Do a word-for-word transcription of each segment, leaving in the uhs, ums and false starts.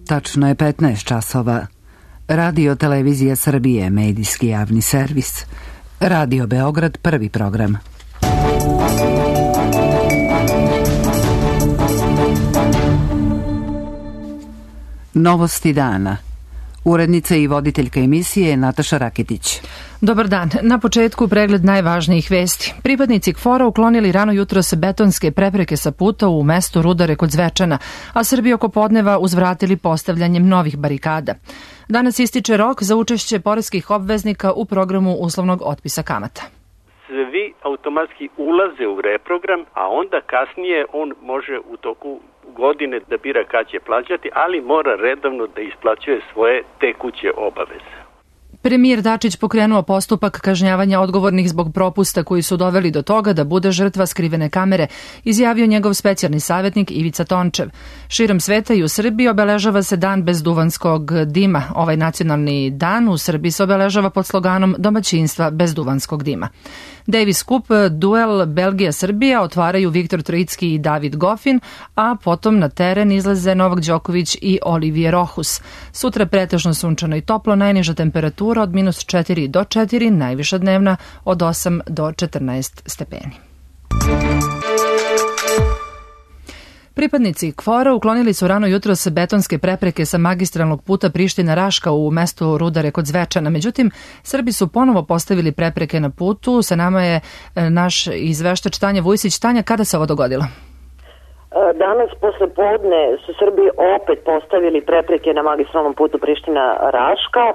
Tačno je petnaest časova. Radio Televizija Srbije, medijski javni servis. Radio Beograd, prvi program. Novosti dana. Urednica i voditeljka emisije Nataša Raketić. Dobar dan. Na početku pregled najvažnijih vesti. Pripadnici KFOR-a uklonili rano jutros betonske prepreke sa puta u mestu Rudare kod Zvečana, a Srbi oko podneva uzvratili postavljanjem novih barikada. Danas ističe rok za učešće poreskih obveznika u programu uslovnog otpisa kamata. Svi automatski ulaze u reprogram, a onda kasnije on može u toku godine da bira kad će plaćati, ali mora redovno da isplaćuje svoje tekuće obaveze. Premijer Dačić pokrenuo postupak kažnjavanja odgovornih zbog propusta koji su doveli do toga da bude žrtva skrivene kamere, izjavio njegov specijalni savjetnik Ivica Tončev. Širom sveta i u Srbiji obeležava se dan bez duvanskog dima. Ovaj nacionalni dan u Srbiji se obeležava pod sloganom domaćinstva bez duvanskog dima. Davis Cup, duel Belgija-Srbija otvaraju Viktor Trojicki i David Goffin, a potom na teren izlaze Novak Đoković i Olivier Rohus. Sutra pretežno sunčano i toplo, najniža temperatura od minus četiri do četiri, najviša dnevna od osam do četrnaest stepeni. Pripadnici KFOR-a uklonili su rano jutros betonske prepreke sa magistralnog puta Priština-Raška u mestu Rudare kod Zvečana. Međutim, Srbi su ponovo postavili prepreke na putu. Sa nama je naš izveštač Tanja Vujsić. Tanja, kada se ovo dogodilo? Danas posle podne su Srbi opet postavili prepreke na magistralnom putu Priština-Raška.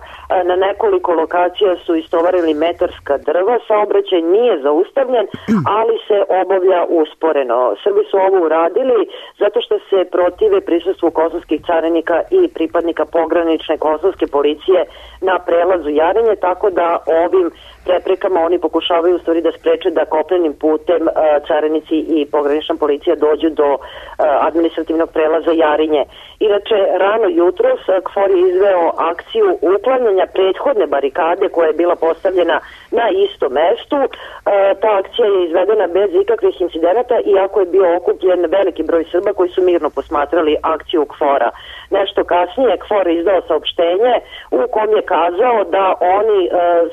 Na nekoliko lokacija su istovarili metarska drva. Saobraćaj nije zaustavljen, ali se obavlja usporeno. Srbi su ovo uradili zato što se protive prisustvu kosovskih carinika i pripadnika pogranične kosovske policije na prelazu Jarinje, tako da ovim preprekama oni pokušavaju u stvari da spreče da kopnenim putem carinici i pogranična policija dođu do administrativnog prelaza Jarinje. Inače, rano jutros KFOR je izveo akciju uklanjanja prethodne barikade koja je bila postavljena na istom mestu. Ta akcija je izvedena bez ikakvih incidenata, iako je bio okupljen veliki broj Srba koji su mirno posmatrali akciju KFOR-a. Nešto kasnije KFOR je izdao saopštenje u kom je kazao da oni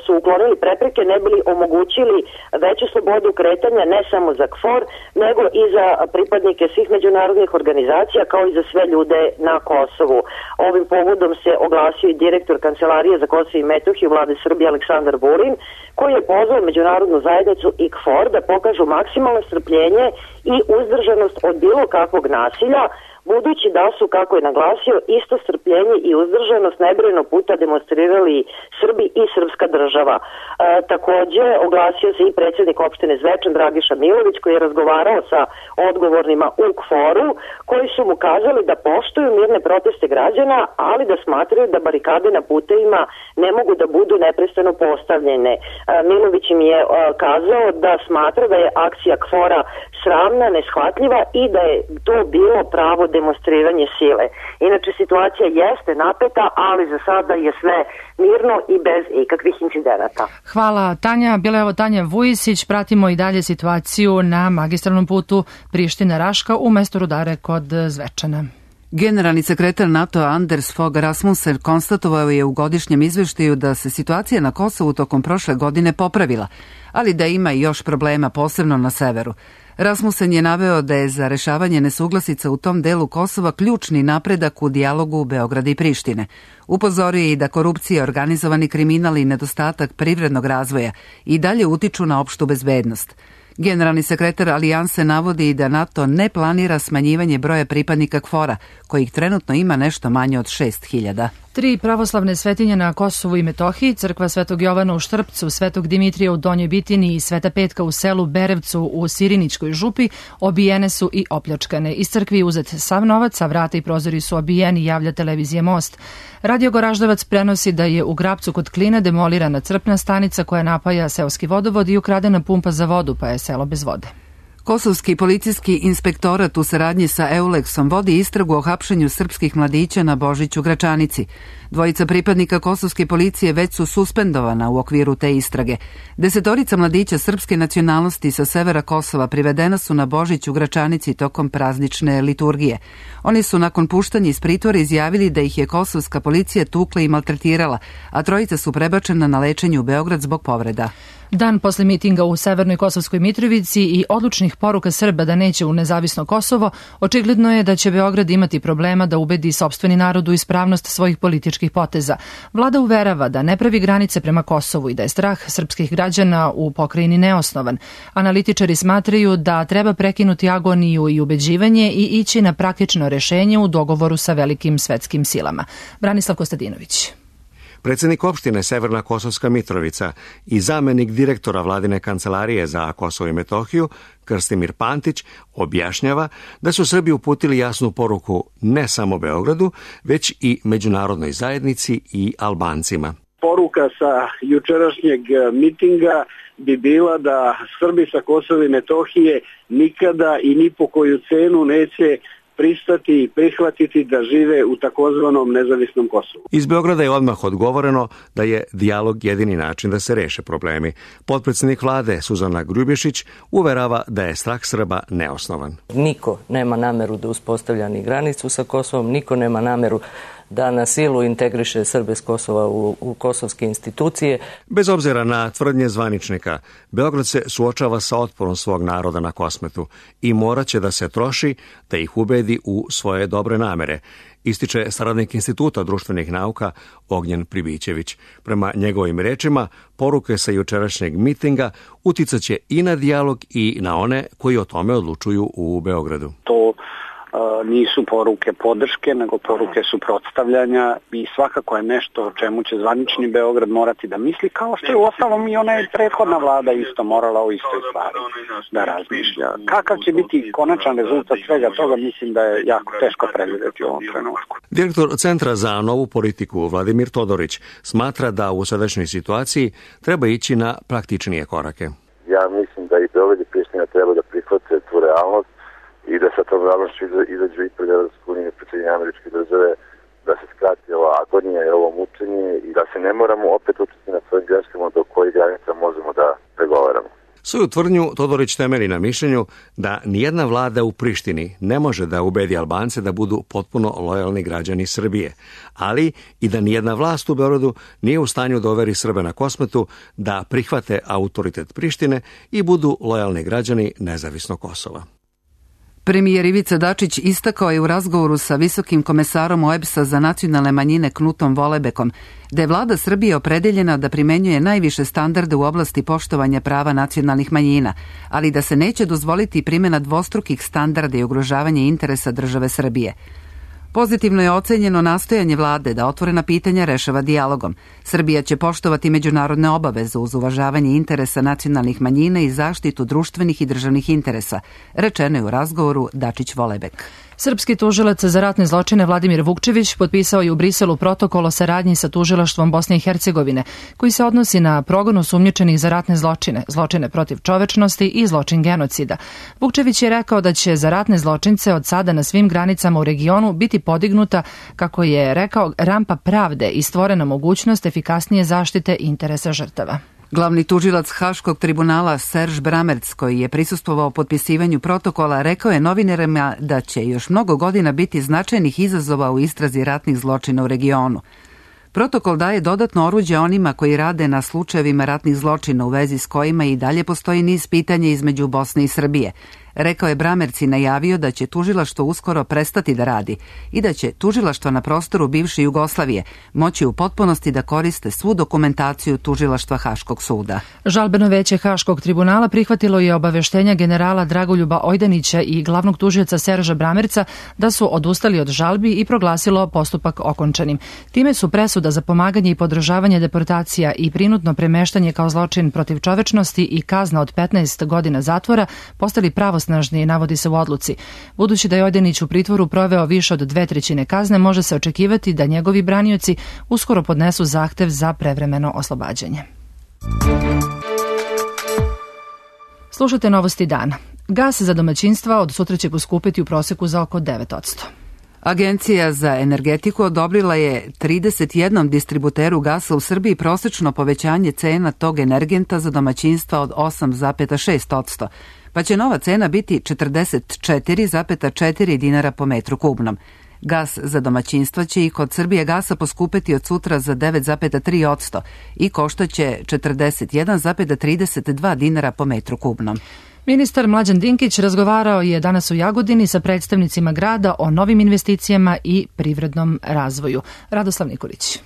su uklonili prepreke ne bili omogućili veću slobodu kretanja ne samo za KFOR, nego i za pripadnike svih međunarodnih organizacija kao i za sve ljude na Kosovu. Ovim povodom se oglasio i direktor Kancelarije za Kosovo i Metohiju Vlade Srbije Aleksandar Vulin, koji je pozvao međunarodnu zajednicu i KFOR da pokažu maksimalno strpljenje i uzdržanost od bilo kakvog nasilja, budući da su, kako je naglasio, isto strpljenje i uzdržanost nebrojeno puta demonstrirali Srbi i srpska država. E, takođe, oglasio se i predsjednik opštine Zvečan Dragiša Milović, koji je razgovarao sa odgovornima u KFOR-u, koji su mu kazali da poštuju mirne proteste građana, ali da smatraju da barikade na putevima ne mogu da budu neprestano postavljene. E, Milović im je e, kazao da smatra da je akcija KFOR-a sramna, neshvatljiva i da je to bilo pravo demonstriranje sile. Inače, situacija jeste napeta, ali za sada je sve mirno i bez ikakvih incidenata. Hvala, Tanja. Bila je ovo Tanja Vujsić. Pratimo i dalje situaciju na magistralnom putu Priština-Raška u mestu Rudare kod Zvečana. Generalni sekretar NATO Anders Fogh Rasmussen konstatovao je u godišnjem izveštaju da se situacija na Kosovu tokom prošle godine popravila, ali da ima i još problema, posebno na severu. Rasmussen je naveo da je za rešavanje nesuglasica u tom delu Kosova ključni napredak u dijalogu Beograda i Prištine. Upozorio je i da korupcija, organizovani kriminal i nedostatak privrednog razvoja i dalje utiču na opštu bezbednost. Generalni sekretar Alijanse navodi da NATO ne planira smanjivanje broja pripadnika KFOR-a, kojih trenutno ima nešto manje od šest hiljada. Tri pravoslavne svetinje na Kosovu i Metohiji, crkva Svetog Jovana u Štrpcu, Svetog Dimitrija u Donjoj Bitini i Sveta Petka u selu Berevcu u Siriničkoj župi obijene su i opljačkane. Iz crkvi uzet sav novac, a vrata i prozori su obijeni, javlja televizija Most. Radio Goraždevac prenosi da je u Grapcu kod Kline demolirana crpna stanica koja napaja seoski vodovod i ukradena pumpa za vodu, pa je selo bez vode. Kosovski policijski inspektorat u saradnji sa Euleksom vodi istragu o hapšenju srpskih mladića na Božiću Gračanici. Dvojica pripadnika kosovske policije već su suspendovana u okviru te istrage. Desetorica mladića srpske nacionalnosti sa severa Kosova privedena su na Božić u Gračanici tokom praznične liturgije. Oni su nakon puštanja iz pritvora izjavili da ih je kosovska policija tukla i maltretirala, a trojica su prebačena na lečenje u Beograd zbog povreda. Dan posle mitinga u Severnoj Kosovskoj Mitrovici i odlučnih poruka Srba da neće u nezavisno Kosovo, očigledno je da će Beograd imati problema da ubedi sopstveni narod u ispravnost svojih političkih poteza. Vlada uverava da ne pravi granice prema Kosovu i da je strah srpskih građana u pokrajini neosnovan. Analitičari smatraju da treba prekinuti agoniju i ubeđivanje i ići na praktično rešenje u dogovoru sa velikim svetskim silama. Branislav Kostadinović. Predsednik opštine Severna Kosovska Mitrovica i zamenik direktora vladine kancelarije za Kosovo i Metohiju, Krstimir Pantić, objašnjava da su Srbi uputili jasnu poruku ne samo Beogradu, već i međunarodnoj zajednici i Albancima. Poruka sa jučerašnjeg mitinga bi bila da Srbi sa Kosova i Metohije nikada i ni po koju cenu neće pristati i prihvatiti da žive u takozvanom nezavisnom Kosovu. Iz Beograda je odmah odgovoreno da je dijalog jedini način da se reše problemi. Potpredsednik vlade Suzana Grubješić uverava da je strah Srba neosnovan. Niko nema nameru da uspostavlja ni granicu sa Kosovom, niko nema nameru da na silu integriše Srbe s Kosova u, u kosovske institucije. Bez obzira na tvrdnje zvaničnika, Beograd se suočava sa otporom svog naroda na Kosmetu i moraće da se troši da ih ubedi u svoje dobre namere, ističe saradnik Instituta društvenih nauka Ognjen Pribićević. Prema njegovim rečima, poruke sa jučerašnjeg mitinga uticaće i na dijalog i na one koji o tome odlučuju u Beogradu. To nisu poruke podrške, nego poruke suprotstavljanja i svakako je nešto o čemu će zvanični Beograd morati da misli, kao što je uostalom i ona je prethodna vlada isto morala o istoj stvari da razmišlja. Kakav će biti konačan rezultat svega toga, mislim da je jako teško predvideti u ovom trenutku. Direktor Centra za novu politiku Vladimir Todorić smatra da u sadašnjoj situaciji treba ići na praktičnije korake. Ja mislim da i Beograd i Priština treba da prihvate tu realnost i da sa tom realnošću izađu i pred Evropsku uniju, pred Sjedinjene Američke Države, da se skrati ova agonija i ovo mučenje i da se ne moramo opet učiti na svojim greškama do kojih granica možemo da pregovaramo. Svoju tvrdnju Todorić temelji na mišljenju da nijedna vlada u Prištini ne može da ubedi Albance da budu potpuno lojalni građani Srbije, ali i da nijedna vlast u Beogradu nije u stanju da overi Srbe na Kosmetu da prihvate autoritet Prištine i budu lojalni građani nezavisnog Kosova. Premijer Ivica Dačić istakao je u razgovoru sa visokim komesarom O E B S-a za nacionalne manjine Knutom Volebekom da je vlada Srbije opredeljena da primenjuje najviše standarde u oblasti poštovanja prava nacionalnih manjina, ali da se neće dozvoliti primjena dvostrukih standarda i ugrožavanje interesa države Srbije. Pozitivno je ocenjeno nastojanje vlade da otvorena pitanja rešava dijalogom. Srbija će poštovati međunarodne obaveze uz uvažavanje interesa nacionalnih manjina i zaštitu društvenih i državnih interesa, rečeno je u razgovoru Dačić-Volebek. Srpski tužilac za ratne zločine Vladimir Vukčević potpisao je u Briselu protokol o saradnji sa tužilaštvom Bosne i Hercegovine, koji se odnosi na progon osumnjičenih za ratne zločine, zločine protiv čovečnosti i zločin genocida. Vukčević je rekao da će za ratne zločince od sada na svim granicama u regionu biti podignuta, kako je rekao, rampa pravde i stvorena mogućnost efikasnije zaštite interesa žrtava. Glavni tužilac Haškog tribunala Serž Bramerc, koji je prisustvovao potpisivanju protokola, rekao je novinarima da će još mnogo godina biti značajnih izazova u istrazi ratnih zločina u regionu. Protokol daje dodatno oruđe onima koji rade na slučajevima ratnih zločina u vezi s kojima i dalje postoji niz pitanja između Bosne i Srbije. Rekao je Bramerc i najavio da će tužilaštvo uskoro prestati da radi i da će tužilaštvo na prostoru bivše Jugoslavije moći u potpunosti da koriste svu dokumentaciju tužilaštva Haškog suda. Žalbeno veće Haškog tribunala prihvatilo je obaveštenja generala Dragoljuba Ojdanića i glavnog tužioca Serža Bramerca da su odustali od žalbi i proglasilo postupak okončanim. Time su presuda za pomaganje i podržavanje deportacija i prinudno premeštanje kao zločin protiv čovečnosti i kazna od petnaest godina zatvora postali pravosnažni, navodi se u odluci. Budući da je Ojdanić u pritvoru proveo više od dve trećine kazne, može se očekivati da njegovi branioci uskoro podnesu zahtev za prevremeno oslobađanje. Slušajte novosti dana. Gas za domaćinstva od sutra će poskupiti u proseku za oko devet posto. Agencija za energetiku odobrila je trideset jednom distributeru gasa u Srbiji prosečno povećanje cena tog energenta za domaćinstva od osam zarez šest posto, pa će nova cena biti četrdeset četiri zarez četiri dinara po metru kubnom. Gas za domaćinstva će i kod Srbije gasa poskupeti od sutra za devet zarez tri posto i koštaće četrdeset jedan zarez trideset dva dinara po metru kubnom. Ministar Mlađan Dinkić razgovarao je danas u Jagodini sa predstavnicima grada o novim investicijama i privrednom razvoju. Radoslav Nikolić.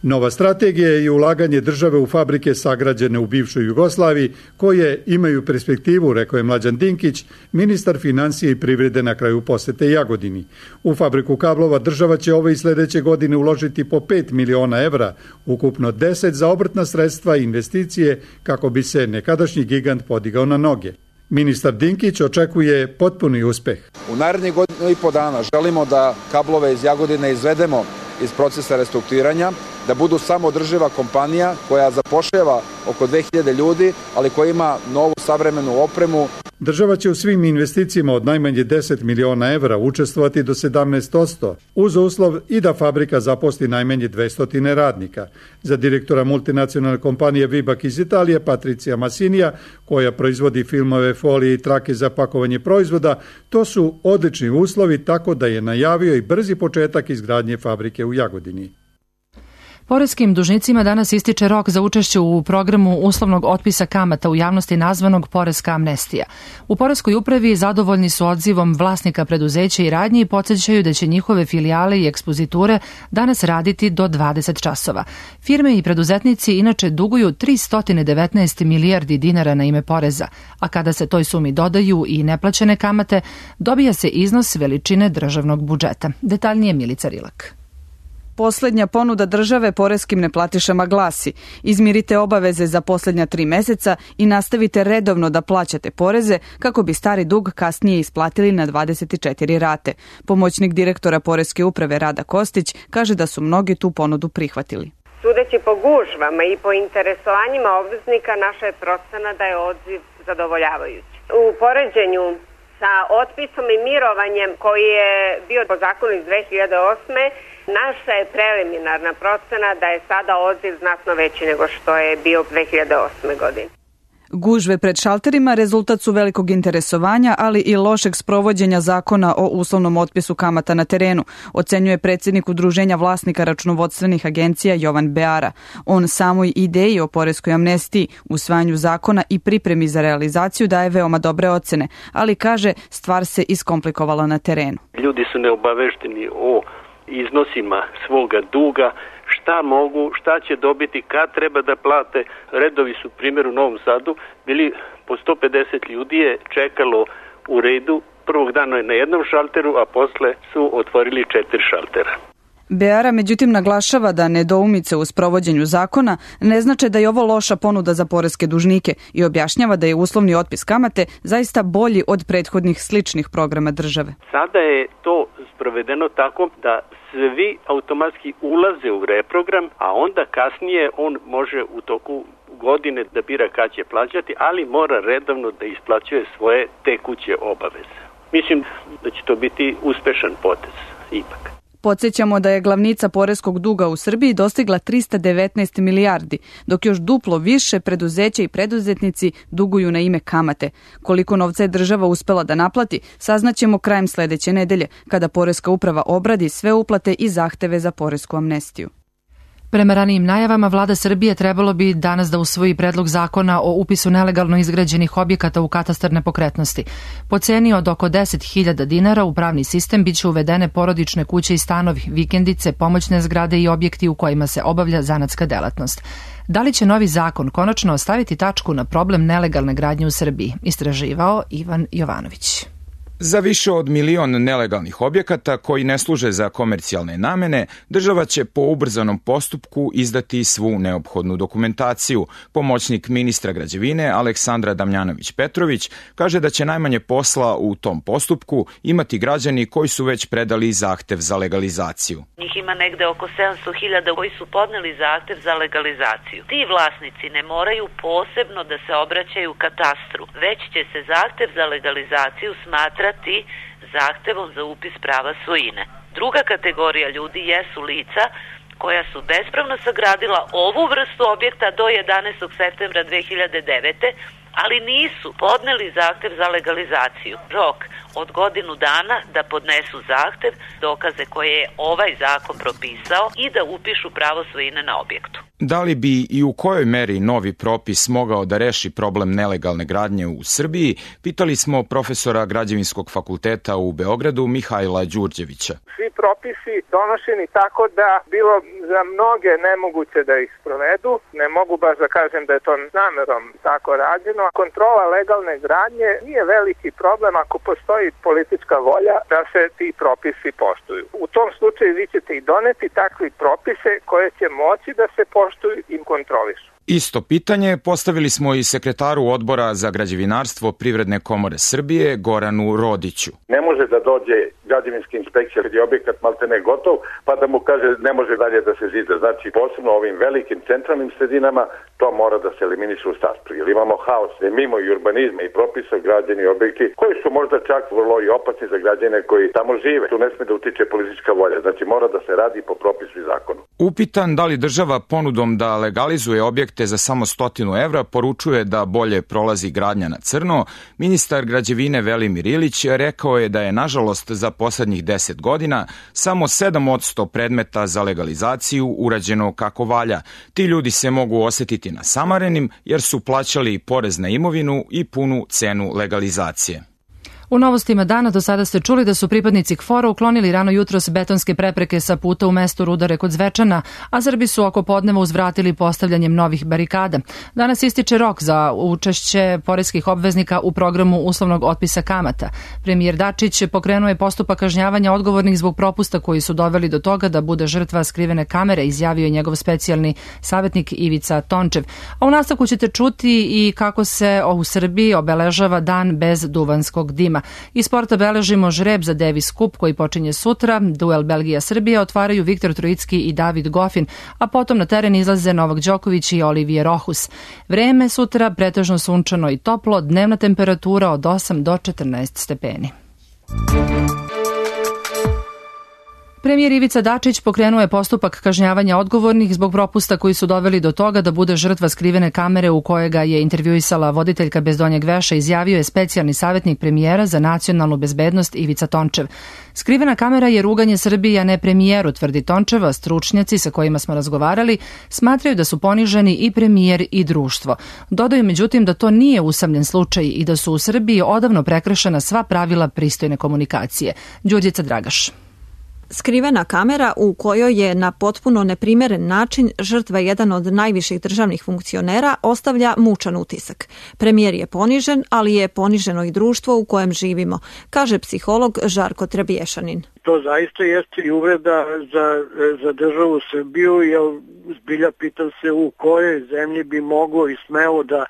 Nova strategija je ulaganje države u fabrike sagrađene u bivšoj Jugoslaviji, koje imaju perspektivu, rekao je Mlađan Dinkić, ministar financije i privrede na kraju posete Jagodini. U fabriku kablova država će ove i sledeće godine uložiti po pet miliona evra, ukupno deset za obrtna sredstva i investicije kako bi se nekadašnji gigant podigao na noge. Ministar Dinkić očekuje potpuni uspeh. U narednih godinu i po dana želimo da kablove iz Jagodine izvedemo iz procesa restrukturiranja, da budu samoodrživa kompanija koja zapošljava oko dve hiljade ljudi, ali koja ima novu savremenu opremu. Država će u svim investicijama od najmanje deset miliona evra učestvovati do sedamnaest posto, uz uslov i da fabrika zaposli najmanje dvesta radnika. Za direktora multinacionalne kompanije Vibak iz Italije, Patricija Masinija, koja proizvodi filmove, folije i trake za pakovanje proizvoda, to su odlični uslovi, tako da je najavio i brzi početak izgradnje fabrike u Jagodini. Poreskim dužnicima danas ističe rok za učešće u programu uslovnog otpisa kamata u javnosti nazvanog Poreska amnestija. U Poreskoj upravi zadovoljni su odzivom vlasnika preduzeća i radnji i podsjećaju da će njihove filijale i ekspoziture danas raditi do dvadeset časova. Firme i preduzetnici inače duguju tristo devetnaest milijardi dinara na ime poreza, a kada se toj sumi dodaju i neplaćene kamate, dobija se iznos veličine državnog budžeta. Detaljnije Milica Rilak. Poslednja ponuda države poreskim neplatišama glasi: izmirite obaveze za poslednja tri meseca i nastavite redovno da plaćate poreze kako bi stari dug kasnije isplatili na dvadeset četiri rate. Pomoćnik direktora Poreske uprave Rada Kostić kaže da su mnogi tu ponudu prihvatili. Sudeći po gužvama i po interesovanjima obveznika, naša je procena da je odziv zadovoljavajući. U poređenju sa otpisom i mirovanjem koji je bio po zakonu iz dve hiljade osme. Naša je preliminarna procena da je sada odziv znatno veći nego što je bio dve hiljade osme. godine. Gužve pred šalterima rezultat su velikog interesovanja, ali i lošeg sprovođenja zakona o uslovnom otpisu kamata na terenu, ocenjuje predsjednik Udruženja vlasnika računovodstvenih agencija Jovan Beara. On samoj ideji o poreskoj amnestiji, usvajanju zakona i pripremi za realizaciju daje veoma dobre ocene, ali kaže stvar se iskomplikovala na terenu. Ljudi su neobavešteni o iznosima svoga duga, šta mogu, šta će dobiti, kad treba da plate. Redovi su, primjer u Novom Sadu, bili po sto pedeset ljudi je čekalo u redu. Prvog dana je na jednom šalteru, a posle su otvorili četiri šaltera. Beara međutim naglašava da nedoumice u sprovođenju zakona ne znače da je ovo loša ponuda za poreske dužnike i objašnjava da je uslovni otpis kamate zaista bolji od prethodnih sličnih programa države. Sada je to sprovedeno tako da svi automatski ulaze u reprogram, a onda kasnije on može u toku godine da bira kad će plaćati, ali mora redovno da isplaćuje svoje tekuće obaveze. Mislim da će to biti uspešan potez ipak. Podsjećamo da je glavnica poreskog duga u Srbiji dostigla trista devetnaest milijardi, dok još duplo više preduzeća i preduzetnici duguju na ime kamate. Koliko novca je država uspela da naplati, saznaćemo krajem sledeće nedelje, kada Poreska uprava obradi sve uplate i zahteve za poresku amnestiju. Prema ranijim najavama, vlada Srbije trebalo bi danas da usvoji predlog zakona o upisu nelegalno izgrađenih objekata u katastar nepokretnosti. Po ceni od oko deset hiljada dinara u pravni sistem biće uvedene porodične kuće i stanovi, vikendice, pomoćne zgrade i objekti u kojima se obavlja zanatska delatnost. Da li će novi zakon konačno ostaviti tačku na problem nelegalne gradnje u Srbiji? Istraživao Ivan Jovanović. Za više od milion nelegalnih objekata koji ne služe za komercijalne namene, država će po ubrzanom postupku izdati svu neophodnu dokumentaciju. Pomoćnik ministra građevine Aleksandra Damjanović-Petrović kaže da će najmanje posla u tom postupku imati građani koji su već predali zahtev za legalizaciju. Njih ima negde oko sedamsto hiljada koji su podneli zahtev za legalizaciju. Ti vlasnici ne moraju posebno da se obraćaju katastru, već će se zahtev za legalizaciju smatrati zahtevom za upis prava svojine. Druga kategorija ljudi jesu lica koja su bespravno sagradila ovu vrstu objekta do jedanaestog septembra dve hiljade devete. ali nisu podneli zahtev za legalizaciju. Rok od godinu dana da podnesu zahtev, dokaze koje je ovaj zakon propisao i da upišu pravo svojine na objektu. Da li bi i u kojoj meri novi propis mogao da reši problem nelegalne gradnje u Srbiji, pitali smo profesora Građevinskog fakulteta u Beogradu Mihajla Đurđevića. Svi propisi donošeni tako da bilo za mnoge nemoguće da ih sprovedu, ne mogu baš da kažem da je to namerom tako rađeno. Kontrola legalne gradnje nije veliki problem ako postoji politička volja da se ti propisi poštuju. U tom slučaju vi ćete i doneti takvi propise koje će moći da se poštuju i kontrolišu. Isto pitanje postavili smo i sekretaru odbora za građevinarstvo Privredne komore Srbije Goranu Rodiću. Ne može da dođe građevinska inspekcija kad je objekat maltene gotov, pa da mu kaže ne može dalje da se zida. Znači, posebno ovim velikim centralnim sredinama to mora da se eliminiše u startu. Jer imamo haos, mimo i urbanizma i propisa građeni objekti koji su možda čak vrlo i opasni za građane koji tamo žive. Tu ne sme da utiče politička volja. Znači, mora da se radi po propisu i zakonu. Upitan da li država ponudom da legalizuje objekte za samo stotinu evra poručuje da bolje prolazi gradnja na crno, ministar građevine Velimir Ilić rekao je da je nažalost za poslednjih deset godina samo sedam posto predmeta za legalizaciju urađeno kako valja. Ti ljudi se mogu osetiti nasamarenim jer su plaćali porez na imovinu i punu cenu legalizacije. U novostima dana do sada ste čuli da su pripadnici K F O R-a uklonili rano jutros betonske prepreke sa puta u mestu Rudare kod Zvečana, a Srbi su oko podneva uzvratili postavljanjem novih barikada. Danas ističe rok za učešće poreskih obveznika u programu uslovnog otpisa kamata. Premijer Dačić pokrenuo je postupak kažnjavanja odgovornih zbog propusta koji su doveli do toga da bude žrtva skrivene kamere, izjavio je njegov specijalni savjetnik Ivica Tončev. A u nastavku ćete čuti i kako se u Srbiji obeležava dan bez duvanskog dima. Iz sporta beležimo žreb za Davis Cup koji počinje sutra, duel Belgija-Srbija otvaraju Viktor Trojicki i David Goffin, a potom na teren izlaze Novak Đoković i Olivier Rohus. Vreme sutra pretežno sunčano i toplo, dnevna temperatura od osam do četrnaest stepeni. Premijer Ivica Dačić pokrenuo je postupak kažnjavanja odgovornih zbog propusta koji su doveli do toga da bude žrtva skrivene kamere u kojoj ga je intervjuisala voditeljka bez donjeg veša, izjavio je specijalni savjetnik premijera za nacionalnu bezbednost Ivica Tončev. Skrivena kamera je ruganje Srbije, a ne premijeru, tvrdi Tončeva. Stručnjaci sa kojima smo razgovarali smatraju da su poniženi i premijer i društvo. Dodaju međutim da to nije usamljen slučaj i da su u Srbiji odavno prekršena sva pravila pristojne komunikacije. Đurđica Dragaš. Skrivena kamera u kojoj je na potpuno neprimeren način žrtva jedan od najviših državnih funkcionera ostavlja mučan utisak. Premijer je ponižen, ali je poniženo i društvo u kojem živimo, kaže psiholog Žarko Trebješanin. To zaista jeste i uvreda za, za državu Srbiju, jer zbilja pitam se u kojoj zemlji bi moglo i smelo da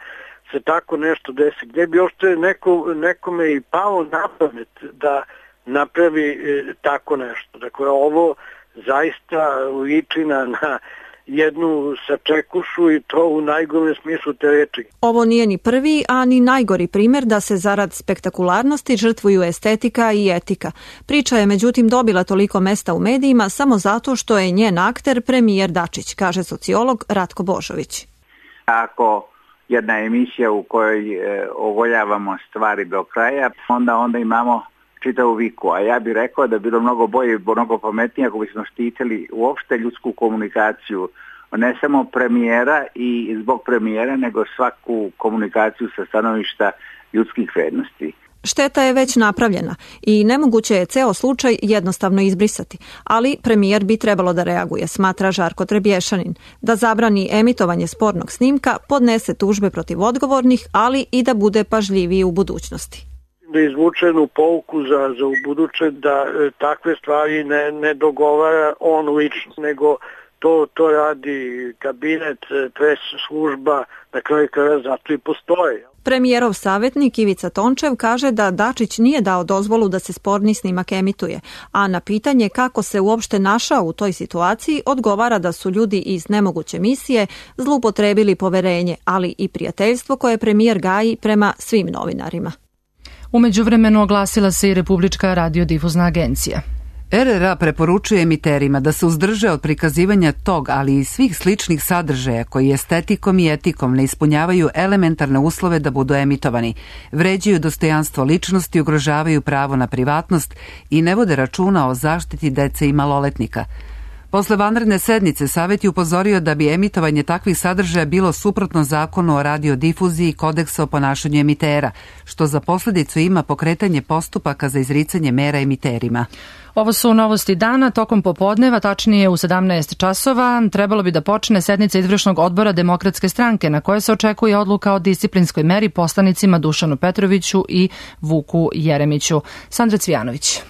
se tako nešto desi. Gde bi ošte neko, nekome i palo na pamet da napravi e, tako nešto. Dakle, ovo zaista liči na, na jednu sačekušu i to u najgorem smislu te reči. Ovo nije ni prvi, a ni najgori primjer da se zarad spektakularnosti žrtvuju estetika i etika. Priča je međutim dobila toliko mesta u medijima samo zato što je njen akter premijer Dačić, kaže sociolog Ratko Božović. Ako jedna emisija u kojoj e, ogoljavamo stvari do kraja, onda onda imamo čitavu viku, a ja bih rekao da bi bilo mnogo bolje i mnogo pametnije ako bismo štitili uopšte ljudsku komunikaciju, ne samo premijera i zbog premijera, nego svaku komunikaciju sa stanovišta ljudskih vrednosti. Šteta je već napravljena i nemoguće je ceo slučaj jednostavno izbrisati, ali premijer bi trebalo da reaguje, smatra Žarko Trebješanin, da zabrani emitovanje spornog snimka, podnese tužbe protiv odgovornih, ali i da bude pažljiviji u budućnosti. da izvuče jednu pouku za, za u buduće, da e, takve stvari ne, ne dogovara on lično, nego to, to radi kabinet, pres služba, na kraju kraja zato i postoje. Premijerov savjetnik Ivica Tončev kaže da Dačić nije dao dozvolu da se sporni snimak emituje, a na pitanje kako se uopšte našao u toj situaciji odgovara da su ljudi iz nemoguće misije zloupotrebili poverenje, ali i prijateljstvo koje premijer gaji prema svim novinarima. U međuvremenu oglasila se i Republička radiodifuzna agencija. R R A preporučuje emiterima da se uzdrže od prikazivanja tog, ali i svih sličnih sadržaja koji estetikom i etikom ne ispunjavaju elementarne uslove da budu emitovani, vređaju dostojanstvo ličnosti, ugrožavaju pravo na privatnost i ne vode računa o zaštiti dece i maloletnika. Posle vanredne sednice Savet je upozorio da bi emitovanje takvih sadržaja bilo suprotno zakonu o radiodifuziji i kodeksa o ponašanju emitera, što za posledicu ima pokretanje postupaka za izricanje mera emiterima. Ovo su novosti dana. Tokom popodneva, tačnije u sedamnaest časova, trebalo bi da počne sednica izvršnog odbora Demokratske stranke na kojoj se očekuje odluka o disciplinskoj meri poslanicima Dušanu Petroviću i Vuku Jeremiću. Sandra Cvijanović.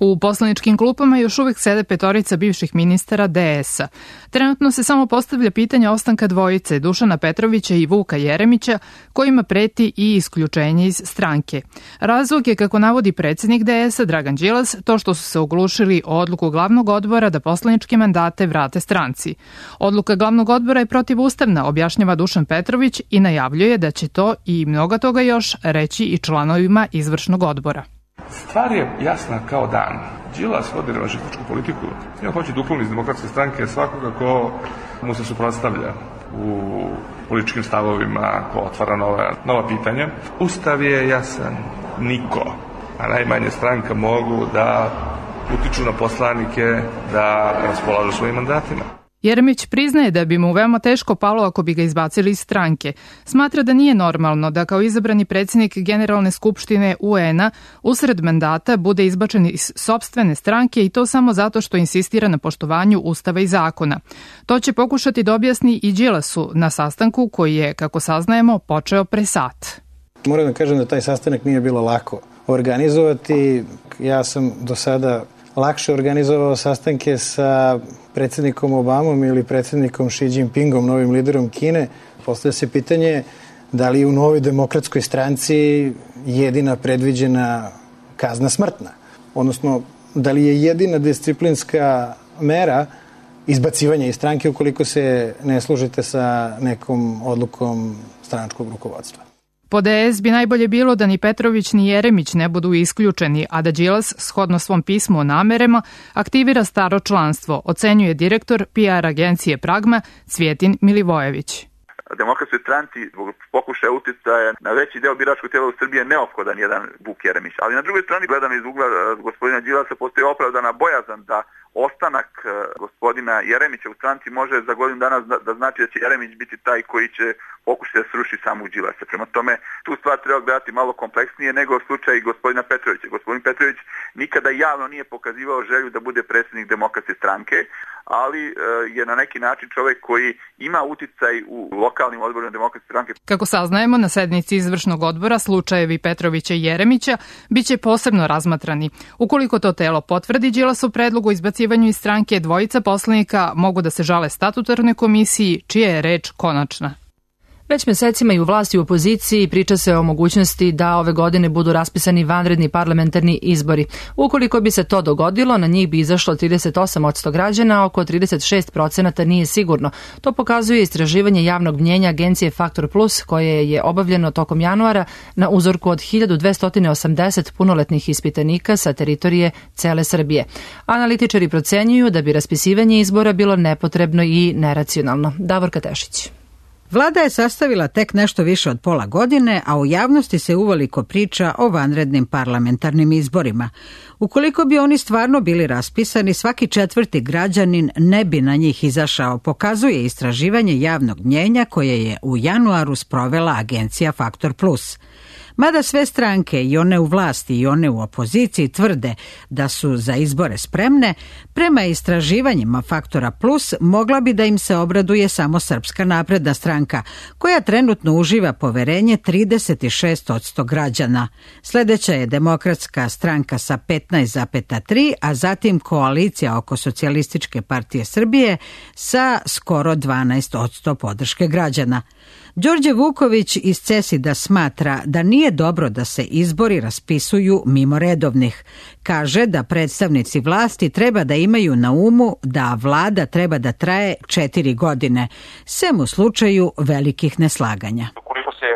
U poslaničkim klupama još uvek sede petorica bivših ministara D S-a. Trenutno se samo postavlja pitanje ostanka dvojice Dušana Petrovića i Vuka Jeremića, kojima preti i isključenje iz stranke. Razlog je, kako navodi predsjednik D S-a Dragan Đilas, to što su se oglušili o odluku glavnog odbora da poslaničke mandate vrate stranci. Odluka glavnog odbora je protivustavna, objašnjava Dušan Petrović i najavljuje da će to i mnogo toga još reći i članovima izvršnog odbora. Stvar je jasna kao dan. Đilas vodi revanšističku politiku. Ja hoće da ukloni iz Demokratske stranke svakoga ko mu se suprotstavlja u političkim stavovima, ko otvara nova, nova pitanja. Ustav je jasan. Niko, a najmanje stranka, mogu da utiču na poslanike da raspolažu svojim mandatima. Jeremić priznaje da bi mu veoma teško palo ako bi ga izbacili iz stranke. Smatra da nije normalno da kao izabrani predsjednik Generalne skupštine U N-a usred mandata bude izbačen iz sopstvene stranke i to samo zato što insistira na poštovanju Ustava i zakona. To će pokušati da objasni i Đilasu na sastanku koji je, kako saznajemo, počeo pre sat. Moram da kažem da taj sastanak nije bilo lako organizovati. Ja sam do sada lakše organizovao sastanke sa predsjednikom Obamom ili predsjednikom Xi Jinpingom, novim liderom Kine. Postavlja se pitanje da li je u novoj demokratskoj stranci jedina predviđena kazna smrtna. Odnosno, da li je jedina disciplinska mera izbacivanja iz stranke ukoliko se ne služite sa nekom odlukom stranačkog rukovodstva. Po D S bi najbolje bilo da ni Petrović ni Jeremić ne budu isključeni, a da Đilas, shodno svom pismu o namerama, aktivira staro članstvo, ocenjuje direktor P R agencije Pragma Cvjetin Milivojević. Demokratskoj stranci zbog pokušaja uticaja na veći deo biračkog tela u Srbiji je neophodan jedan Vuk Jeremić. Ali na drugoj strani, gledano iz ugla gospodina Đilasa, postoji opravdana bojazan da ostanak gospodina Jeremića u stranci može za godinu dana da znači da će Jeremić biti taj koji će pokušati da sruši samog Đilasa. Prema tome, tu stvar treba gledati malo kompleksnije nego slučaj gospodina Petrovića. Gospodin Petrović nikada javno nije pokazivao želju da bude predsjednik Demokratske stranke, ali je na neki način čovjek koji ima uticaj u lokalnim odborima Demokratske stranke. Kako saznajemo, na sednici izvršnog odbora slučajevi Petrovića i Jeremića biće posebno razmatrani. Ukoliko to telo potvrdi Đilasov predlog o izbacivanju iz stranke, dvojica poslanika mogu da se žale statutarnoj komisiji, čija je reč konačna. Već mesecima i u vlasti i u opoziciji priča se o mogućnosti da ove godine budu raspisani vanredni parlamentarni izbori. Ukoliko bi se to dogodilo, na njih bi izašlo trideset osam posto građana, a oko trideset šest procenata nije sigurno. To pokazuje istraživanje javnog mnjenja agencije Faktor Plus, koje je obavljeno tokom januara na uzorku od hiljadu dvesta osamdeset punoletnih ispitanika sa teritorije cele Srbije. Analitičari procenjuju da bi raspisivanje izbora bilo nepotrebno i neracionalno. Davorka Tešić. Vlada je sastavila tek nešto više od pola godine, a u javnosti se uveliko priča o vanrednim parlamentarnim izborima. Ukoliko bi oni stvarno bili raspisani, svaki četvrti građanin ne bi na njih izašao, pokazuje istraživanje javnog mnjenja koje je u januaru sprovela agencija Faktor Plus. Mada sve stranke, i one u vlasti i one u opoziciji, tvrde da su za izbore spremne, prema istraživanjima Faktora Plus mogla bi da im se obraduje samo Srpska napredna stranka, koja trenutno uživa poverenje trideset šest posto građana. Sljedeća je Demokratska stranka sa petnaest zarez tri, a zatim koalicija oko Socijalističke partije Srbije sa skoro dvanaest posto podrške građana. Đorđe Vuković iz Cesida smatra da nije dobro da se izbori raspisuju mimo redovnih. Kaže da predstavnici vlasti treba da imaju na umu da vlada treba da traje četiri godine, sem u slučaju velikih neslaganja. Ukoliko se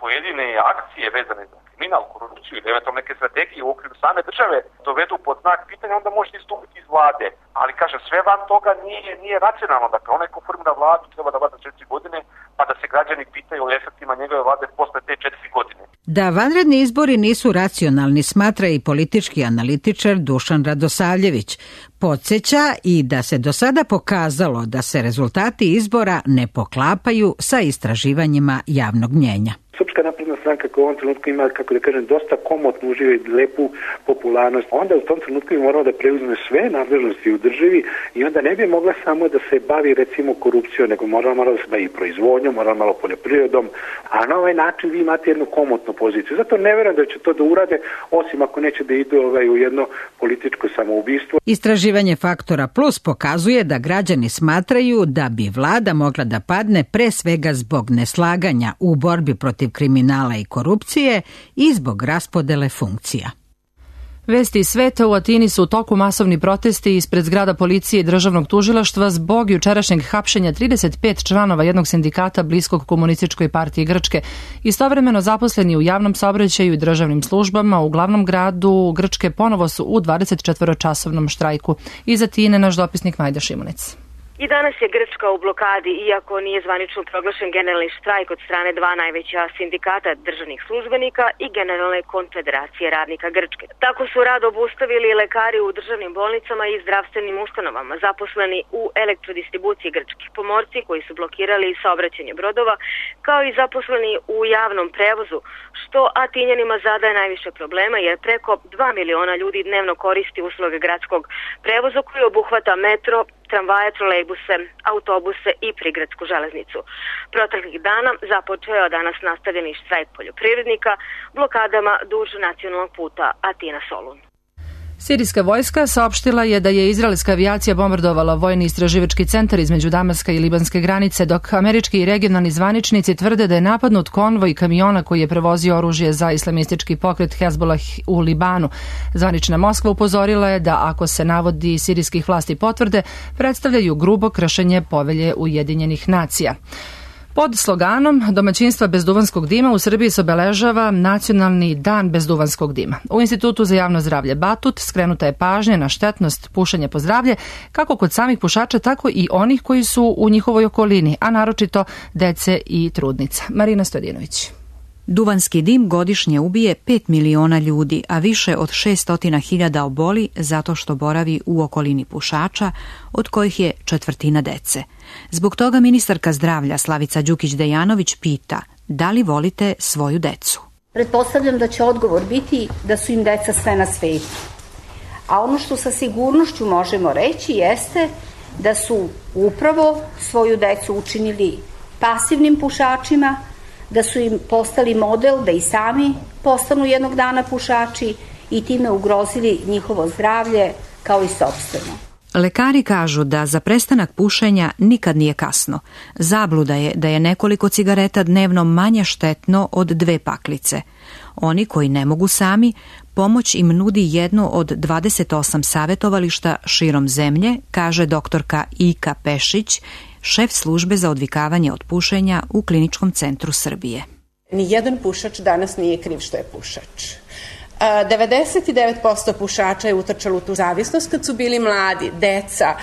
pojedine akcije vezane za kriminal, korupciju ili eventualno neke strategije u okviru same države dovedu pod znak pitanja, onda možete istupiti iz vlade. Ali kažem, sve van toga nije, nije racionalno. Dakle, onaj ko formira vladu treba da vlada četiri godine, pa da se građani pitaju o efektima njegove vlade posle te četiri godine. Da vanredni izbori nisu racionalni, smatra i politički analitičar Dušan Radosavljević. Podsjeća i da se do sada pokazalo da se rezultati izbora ne poklapaju sa istraživanjima javnog mnjenja. Srpska napredna stranka koja u ovom trenutku ima, kako da kažem, dosta komotno uživa i lepu popularnost, onda u tom trenutku bi morala da preuzme sve nadležnosti u državi i onda ne bi mogla samo da se bavi recimo korupcijom, nego morala malo da se bavi proizvodnjom, morala malo poljoprivredom, a na ovaj način vi imate jednu komotnu poziciju. Zato ne verujem da će to da urade, osim ako neće da idu ovaj, u jedno političko samoubistvo. Istraživanje Faktora Plus pokazuje da građani smatraju da bi vlada mogla da padne pre svega zbog neslaganja u borbi protiv kriminala i korupcije i zbog raspodele funkcija. Vesti iz sveta, u Atini su u toku masovni protesti ispred zgrada policije i državnog tužilaštva zbog jučerašnjeg hapšenja trideset pet članova jednog sindikata bliskog komunističkoj partiji Grčke. Istovremeno zaposleni u javnom saobraćaju i državnim službama u glavnom gradu Grčke ponovo su u dvadesetčetvoročasovnom štrajku. Iz Atine naš dopisnik Majda Šimunic. I danas je Grčka u blokadi, iako nije zvanično proglašen generalni štrajk od strane dva najveća sindikata državnih službenika i Generalne konfederacije radnika Grčke. Tako su rad obustavili lekari u državnim bolnicama i zdravstvenim ustanovama, zaposleni u elektrodistribuciji Grčkih, pomorci koji su blokirali saobraćanje brodova, kao i zaposleni u javnom prevozu, što Atinjanima zadaje najviše problema jer preko dva miliona ljudi dnevno koristi usluge gradskog prevoza koji obuhvata metro, tramvaje, trolejbuse, autobuse i prigradsku železnicu. Proteklih dana započeo je danas nastavljeni štrajk poljoprivrednika blokadama duž nacionalnog puta Atina-Solun. Sirijska vojska saopštila je da je izraelska avijacija bombardovala vojni istraživački centar između Damaska i libanske granice, dok američki i regionalni zvaničnici tvrde da je napadnut konvoj kamiona koji je prevozio oružje za islamistički pokret Hezbollah u Libanu. Zvanična Moskva upozorila je da ako se navodi sirijskih vlasti potvrde, predstavljaju grubo kršenje povelje Ujedinjenih nacija. Pod sloganom Domaćinstva bez duvanskog dima u Srbiji se obeležava Nacionalni dan bez duvanskog dima. U Institutu za javno zdravlje Batut skrenuta je pažnja na štetnost pušenja po zdravlje, kako kod samih pušača, tako i onih koji su u njihovoj okolini, a naročito dece i trudnica. Marina Stojadinović. Duvanski dim godišnje ubije pet miliona ljudi, a više od šesto hiljada oboli zato što boravi u okolini pušača, od kojih je četvrtina dece. Zbog toga ministarka zdravlja Slavica Đukić-Dejanović pita da li volite svoju decu. Pretpostavljam da će odgovor biti da su im deca sve na svetu. A ono što sa sigurnošću možemo reći jeste da su upravo svoju decu učinili pasivnim pušačima, da su im postali model da i sami postanu jednog dana pušači i time ugrozili njihovo zdravlje kao i sopstveno. Lekari kažu da za prestanak pušenja nikad nije kasno. Zabluda je da je nekoliko cigareta dnevno manje štetno od dve paklice. Oni koji ne mogu sami, pomoć im nudi jedno od dvadeset osam savjetovališta širom zemlje, kaže doktorka Ika Pešić, šef službe za odvikavanje od pušenja u Kliničkom centru Srbije. Nijedan pušač danas nije kriv što je pušač. devedeset devet posto pušača je utrčalo u tu zavisnost kad su bili mladi, deca,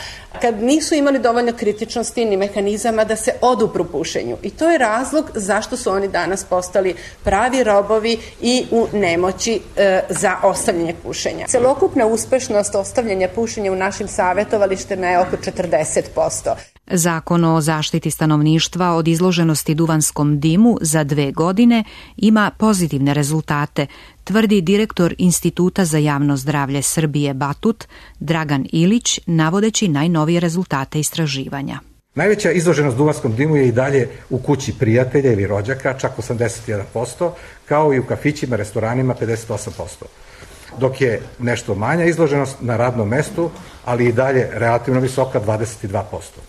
kad nisu imali dovoljno kritičnosti ni mehanizama da se odupru pušenju. I to je razlog zašto su oni danas postali pravi robovi i u nemoći e, za ostavljanje pušenja. Celokupna uspešnost ostavljanja pušenja u našim savjetovalištima je oko četrdeset posto. Zakon o zaštiti stanovništva od izloženosti duvanskom dimu za dve godine ima pozitivne rezultate, tvrdi direktor Instituta za javno zdravlje Srbije Batut Dragan Ilić, navodeći najnovije rezultate istraživanja. Najveća izloženost duvanskom dimu je i dalje u kući prijatelja ili rođaka, čak osamdeset jedan posto, kao i u kafićima, restoranima pedeset osam posto. Dok je nešto manja izloženost na radnom mestu, ali i dalje relativno visoka, dvadeset dva posto.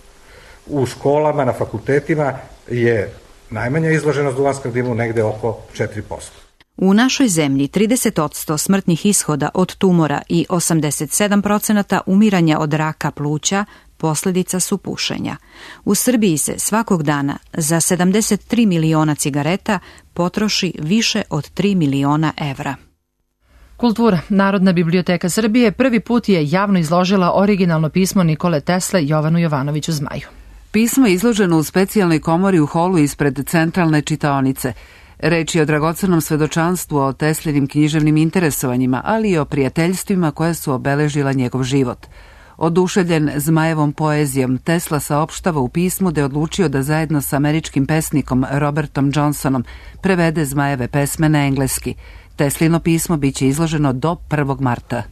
U školama, na fakultetima je najmanja izloženost duvanskom dimu negde oko četiri posto. U našoj zemlji trideset posto smrtnih ishoda od tumora i osamdeset sedam posto umiranja od raka pluća posljedica su pušenja. U Srbiji se svakog dana za sedamdeset tri miliona cigareta potroši više od tri miliona evra. Kultura. Narodna biblioteka Srbije prvi put je javno izložila originalno pismo Nikole Tesle Jovanu Jovanoviću Zmaju. Pismo je izloženo u specijalnoj komori u holu ispred centralne čitaonice. Reč je o dragocenom svedočanstvu o Teslinim književnim interesovanjima, ali i o prijateljstvima koja su obeležila njegov život. Oduševljen Zmajevom poezijom, Tesla saopštava u pismu da je odlučio da zajedno sa američkim pesnikom Robertom Johnsonom prevede Zmajeve pesme na engleski. Teslino pismo biće izloženo do prvog marta.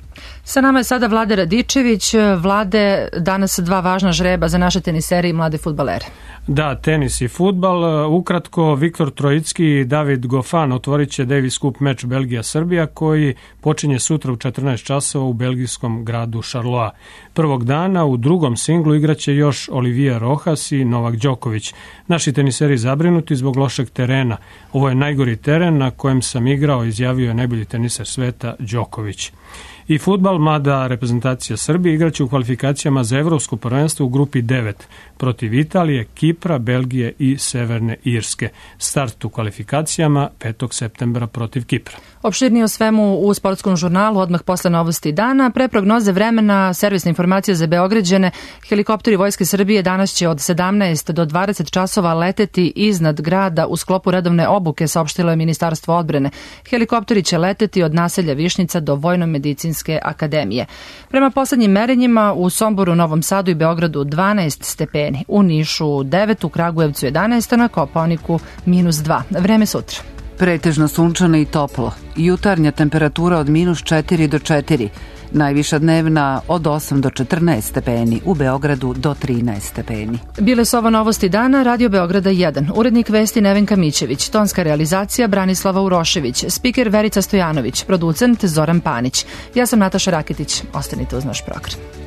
Sa nama je sada Vlade Radičević. Vlade, danas dva važna žreba za naše tenisere i mlade fudbalere. Da, tenis i fudbal. Ukratko, Viktor Trojicki i David Goffin otvorit će Davis Cup meč Belgija-Srbija koji počinje sutra u četrnaest časova u belgijskom gradu Charleroi. Prvog dana u drugom singlu igraće još Olivier Rojas i Novak Đoković. Naši teniseri zabrinuti zbog lošeg terena. Ovo je najgori teren na kojem sam igrao, izjavio je najbolji teniser sveta Đoković. I fudbal, mlada reprezentacija Srbije igraće u kvalifikacijama za evropsko prvenstvo u grupi devet protiv Italije, Kipra, Belgije i Severne Irske. Start u kvalifikacijama petog septembra protiv Kipra. Opširnije o svemu u sportskom žurnalu odmah posle novosti dana. Pre prognoze vremena, servisna informacija za Beograđane. Helikopteri Vojske Srbije danas će od sedamnaest do dvadeset časova leteti iznad grada u sklopu redovne obuke, saopštilo je Ministarstvo odbrane. Helikopteri će leteti od naselja Višnjica do Vojno-medicinske akademije. Prema poslednjim merenjima u Somboru, Novom Sadu i Beogradu dvanaest stepeni, u Nišu devet, u Kragujevcu jedanaest, a na Kopaoniku minus dva. Vreme sutra. Pretežno sunčano i toplo. Jutarnja temperatura od minus četiri do četiri. Najviša dnevna od osam do četrnaest stepeni, u Beogradu do trinaest stepeni. Bile su ovo novosti dana, Radio Beograda jedan. Urednik vesti Nevenka Mićević, tonska realizacija Branislava Urošević, spiker Verica Stojanović, producent Zoran Panić. Ja sam Nataša Raketić. Ostanite uz naš program.